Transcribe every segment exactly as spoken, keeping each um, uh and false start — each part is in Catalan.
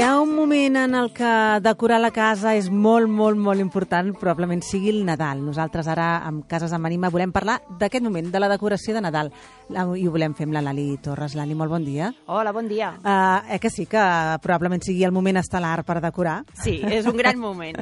hi ha un moment en el que decorar la casa és molt, molt, molt important, probablement sigui el Nadal. Nosaltres ara, amb Cases amb Ànima, volem parlar d'aquest moment, de la decoració de Nadal. I ho volem fer amb la Lali Torres. Lali, molt bon dia. Hola, bon dia. Uh, eh que sí, que probablement sigui el moment estel·lar per decorar? Sí, és un gran moment.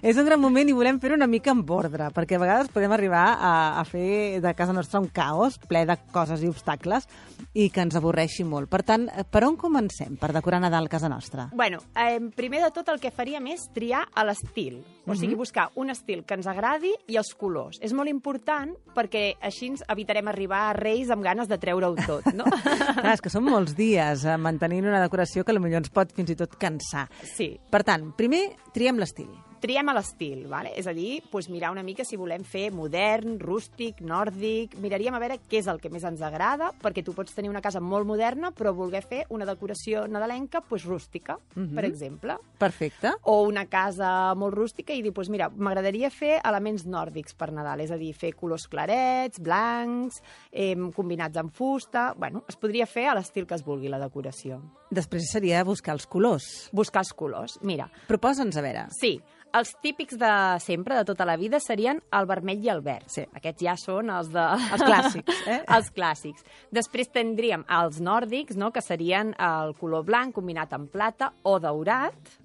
És un gran moment i volem fer-ho una mica amb ordre, perquè a vegades podem arribar a, a fer de casa nostra un caos ple de coses i obstacles i que ens avorreixi molt. Per tant, per on comencem per decorar Nadal a casa nostra? Bueno, eh, primer de tot el que faríem és triar a l'estil. O sigui, buscar un estil que ens agradi i els colors. És molt important perquè així evitarem arribar a Reis amb ganes de treure-ho tot, no? Clar, és que són molts dies eh, mantenint una decoració que potser ens pot fins i tot cansar. Sí. Per tant, primer triem l'estil. Triem a l'estil, vale? És a dir, doncs mirar una mica si volem fer modern, rústic, nòrdic. Miraríem a veure què és el que més ens agrada, perquè tu pots tenir una casa molt moderna, però voler fer una decoració nadalenca doncs, rústica, uh-huh. per exemple. Perfecte. O una casa molt rústica i dir, doncs mira, m'agradaria fer elements nòrdics per Nadal, és a dir, fer colors clarets, blancs, eh, combinats amb fusta. Bueno, es podria fer a l'estil que es vulgui, la decoració. Després seria buscar els colors. Buscar els colors, mira. Proposa'ns, a veure. Sí. Els típics de sempre, de tota la vida, serien el vermell i el verd. Sí. Aquests ja són els de... Els clàssics, eh? Els clàssics. Després tindríem els nòrdics, no?, que serien el color blanc combinat amb plata o daurat,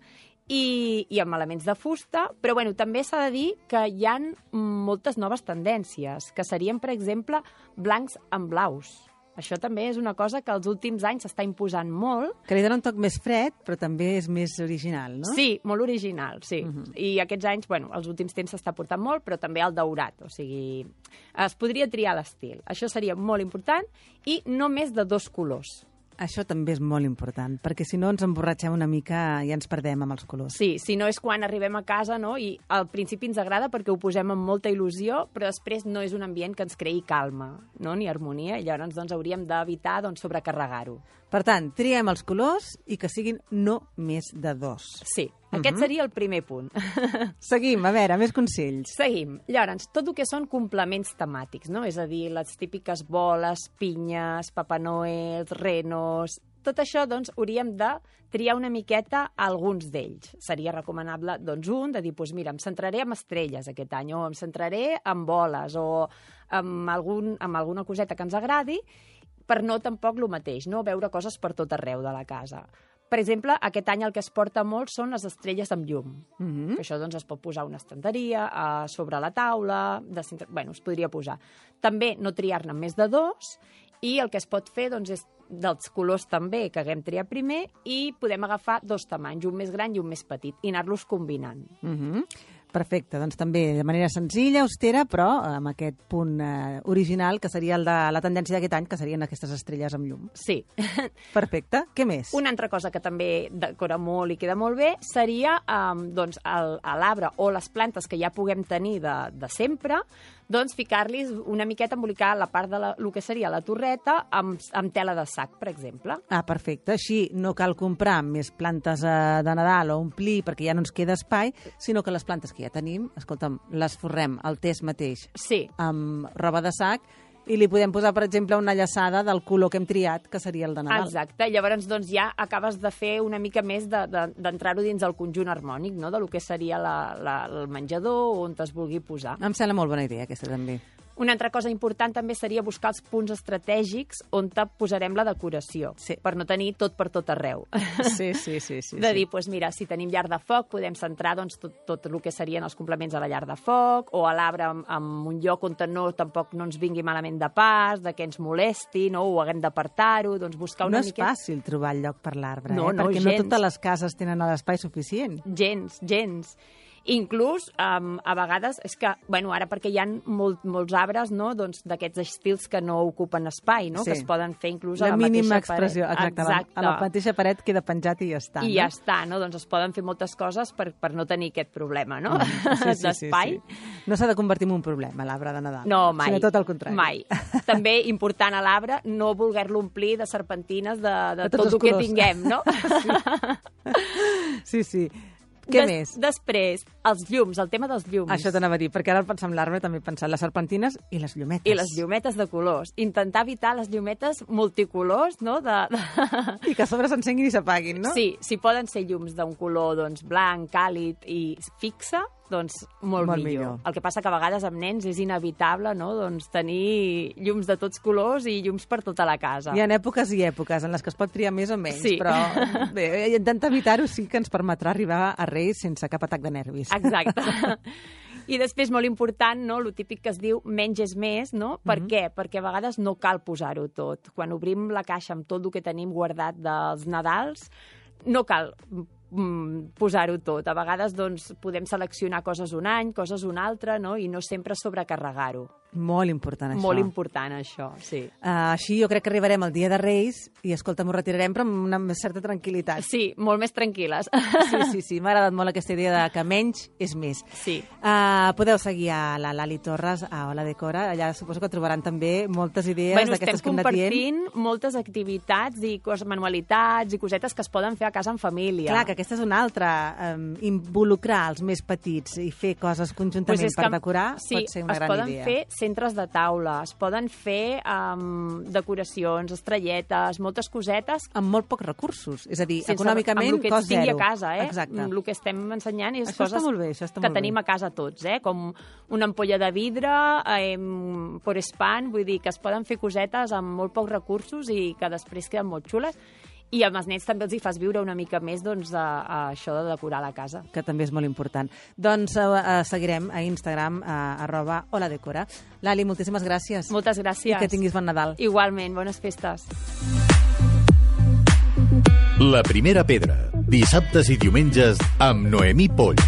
i, i amb elements de fusta, però bueno, també s'ha de dir que hi ha moltes noves tendències, que serien, per exemple, blancs amb blaus. Això també és una cosa que els últims anys s'està imposant molt. Que li dona un toc més fred, però també és més original, no? Sí, molt original, sí. Uh-huh. I aquests anys, bueno, els últims temps s'està portant molt, però també el daurat. O sigui, es podria triar l'estil. Això seria molt important i no més de dos colors. Això també és molt important, perquè si no ens emborratxem una mica i ens perdem amb els colors. Sí, si no és quan arribem a casa, no?, i al principi ens agrada perquè ho posem amb molta il·lusió, però després no és un ambient que ens creï calma, no?, ni harmonia, i llavors doncs, hauríem d'evitar doncs, sobrecarregar-ho. Per tant, triem els colors i que siguin no més de dos. Sí, aquest uh-huh. seria el primer punt. Seguim, a veure, més consells. Seguim. Llavors, tot el que són complements temàtics, no? És a dir, les típiques boles, pinyes, Papa Noel, renos... Tot això, doncs, hauríem de triar una miqueta alguns d'ells. Seria recomanable, doncs, un, de dir, doncs, mira, em centraré en estrelles aquest any, o em centraré en boles, o en, algun, en alguna coseta que ens agradi, per no tampoc el mateix, no? Veure coses per tot arreu de la casa. Per exemple, aquest any el que es porta molt són les estrelles amb llum. Mm-hmm. Això doncs, es pot posar una estanteria, a sobre la taula, de centre... bueno, es podria posar. També no triar-ne més de dos, i el que es pot fer doncs, és dels colors també, que haguem triat primer, i podem agafar dos tamanys, un més gran i un més petit, i anar-los combinant. Mm-hmm. Perfecte, doncs també de manera senzilla, austera, però amb aquest punt eh, original, que seria el de la tendència d'aquest any, que serien aquestes estrelles amb llum. Sí. Perfecte. Què més? Una altra cosa que també decora molt i queda molt bé seria um, doncs, l'arbre o les plantes que ja puguem tenir de, de sempre, doncs ficar-los una miqueta, embolicar la part de la, el que seria la torreta amb, amb tela de sac, per exemple. Ah, perfecte. Així no cal comprar més plantes eh, de Nadal o omplir perquè ja no ens queda espai, sinó que les plantes que ja tenim, escolta'm, les forrem al test mateix sí. amb roba de sac i li podem posar, per exemple, una llaçada del color que hem triat, que seria el de Nadal. Exacte. Llavors, doncs, ja acabes de fer una mica més d'entrar-ho de, de, dins el conjunt harmònic, no?, de lo que seria la, la, el menjador on es vulgui posar. Em sembla molt bona idea, aquesta també. Una altra cosa important també seria buscar els punts estratègics on te posarem la decoració, sí. per no tenir tot per tot arreu. Sí, sí, sí. sí de dir, sí. doncs mira, si tenim llar de foc, podem centrar doncs, tot, tot el que serien els complements a la llar de foc, o a l'arbre en, en un lloc on no, tampoc no ens vingui malament de pas, de que ens molesti, no? O haguem d'apartar-ho, doncs buscar una miqueta... No és miqueta... fàcil trobar el lloc per l'arbre, no, eh? no, perquè gens. no totes les cases tenen l'espai suficient. Gens, gens. Inclús, um, a vegades, és que, bueno, ara perquè hi ha molt, molts arbres, no?, doncs d'aquests estils que no ocupen espai, no?, sí. que es poden fer inclús la a la mateixa mínima expressió, paret. Exacte. Exacte. A la mateixa paret queda penjat i ja està. I no? ja està, no?, doncs es poden fer moltes coses per, per no tenir aquest problema, no?, mm, sí, sí, d'espai. Sí, sí. No s'ha de convertir en un problema, l'arbre de Nadal. No, mai. Sinó tot el contrari. Mai. També important a l'arbre no voler-lo omplir de serpentines de, de, de tot el que colors. tinguem, no? Sí, sí. sí. Què Des, més? Després, els llums, el tema dels llums. Això t'anava a dir, perquè ara al pensar en l'arbre també he pensat les serpentines i les llumetes. I les llumetes de colors. Intentar evitar les llumetes multicolors, no? De, de... I que a sobre s'encenguin i s'apaguin, no? Sí, si poden ser llums d'un color doncs, blanc, càlid i fixe, doncs molt, Molt millor. millor. El que passa que a vegades amb nens és inevitable, no?, doncs tenir llums de tots colors i llums per tota la casa. Hi ha èpoques i èpoques en les que es pot triar més o menys, Sí. però bé, intentar evitar-ho sí que ens permetrà arribar a Reis sense cap atac de nervis. Exacte. I després, molt important, no?, el típic que es diu menys és més, no? Per Mhm. què? Perquè a vegades no cal posar-ho tot. Quan obrim la caixa amb tot el que tenim guardat dels Nadals, no cal mm, posar-ho tot. A vegades doncs, podem seleccionar coses un any, coses un altre, no? I no sempre sobrecarregar-ho. Molt important, això. Molt important, això, sí. Uh, així jo crec que arribarem al dia de Reis i, escolta, m'ho retirarem, però amb una certa tranquil·litat. Sí, molt més tranquil·les. Sí, sí, sí. M'ha agradat molt aquesta idea de que menys és més. Sí. Uh, podeu seguir a la Lali Torres, a Hola Decora. Allà suposo que trobaran també moltes idees Bueno, d'aquestes que estem hem anat dient. compartint moltes activitats i coses, manualitats i cosetes que es poden fer a casa en família. Clar, que aquesta és una altra. Um, involucrar els més petits i fer coses conjuntament Pues és per que, decorar sí, pot ser una es gran poden idea. fer centres de taula, es poden fer um, decoracions, estrelletes, moltes cosetes. Amb molt pocs recursos. És a dir, Sense, econòmicament, amb el que cost tingui zero. a casa, eh? Exacte. El que estem ensenyant és Això està coses molt bé, això està que molt bé. tenim a casa tots, eh? Com una ampolla de vidre, eh, por span, vull dir que es poden fer cosetes amb molt pocs recursos i que després queden molt xules. I amb els nens també els hi fas viure una mica més doncs, a, a això de decorar la casa. Que també és molt important. Doncs uh, uh, seguirem a Instagram, uh, arroba Hola Decora. Lali, moltíssimes gràcies. Moltes gràcies. I que tinguis bon Nadal. Igualment, bones festes. La primera pedra, dissabtes i diumenges amb Noemí Polls.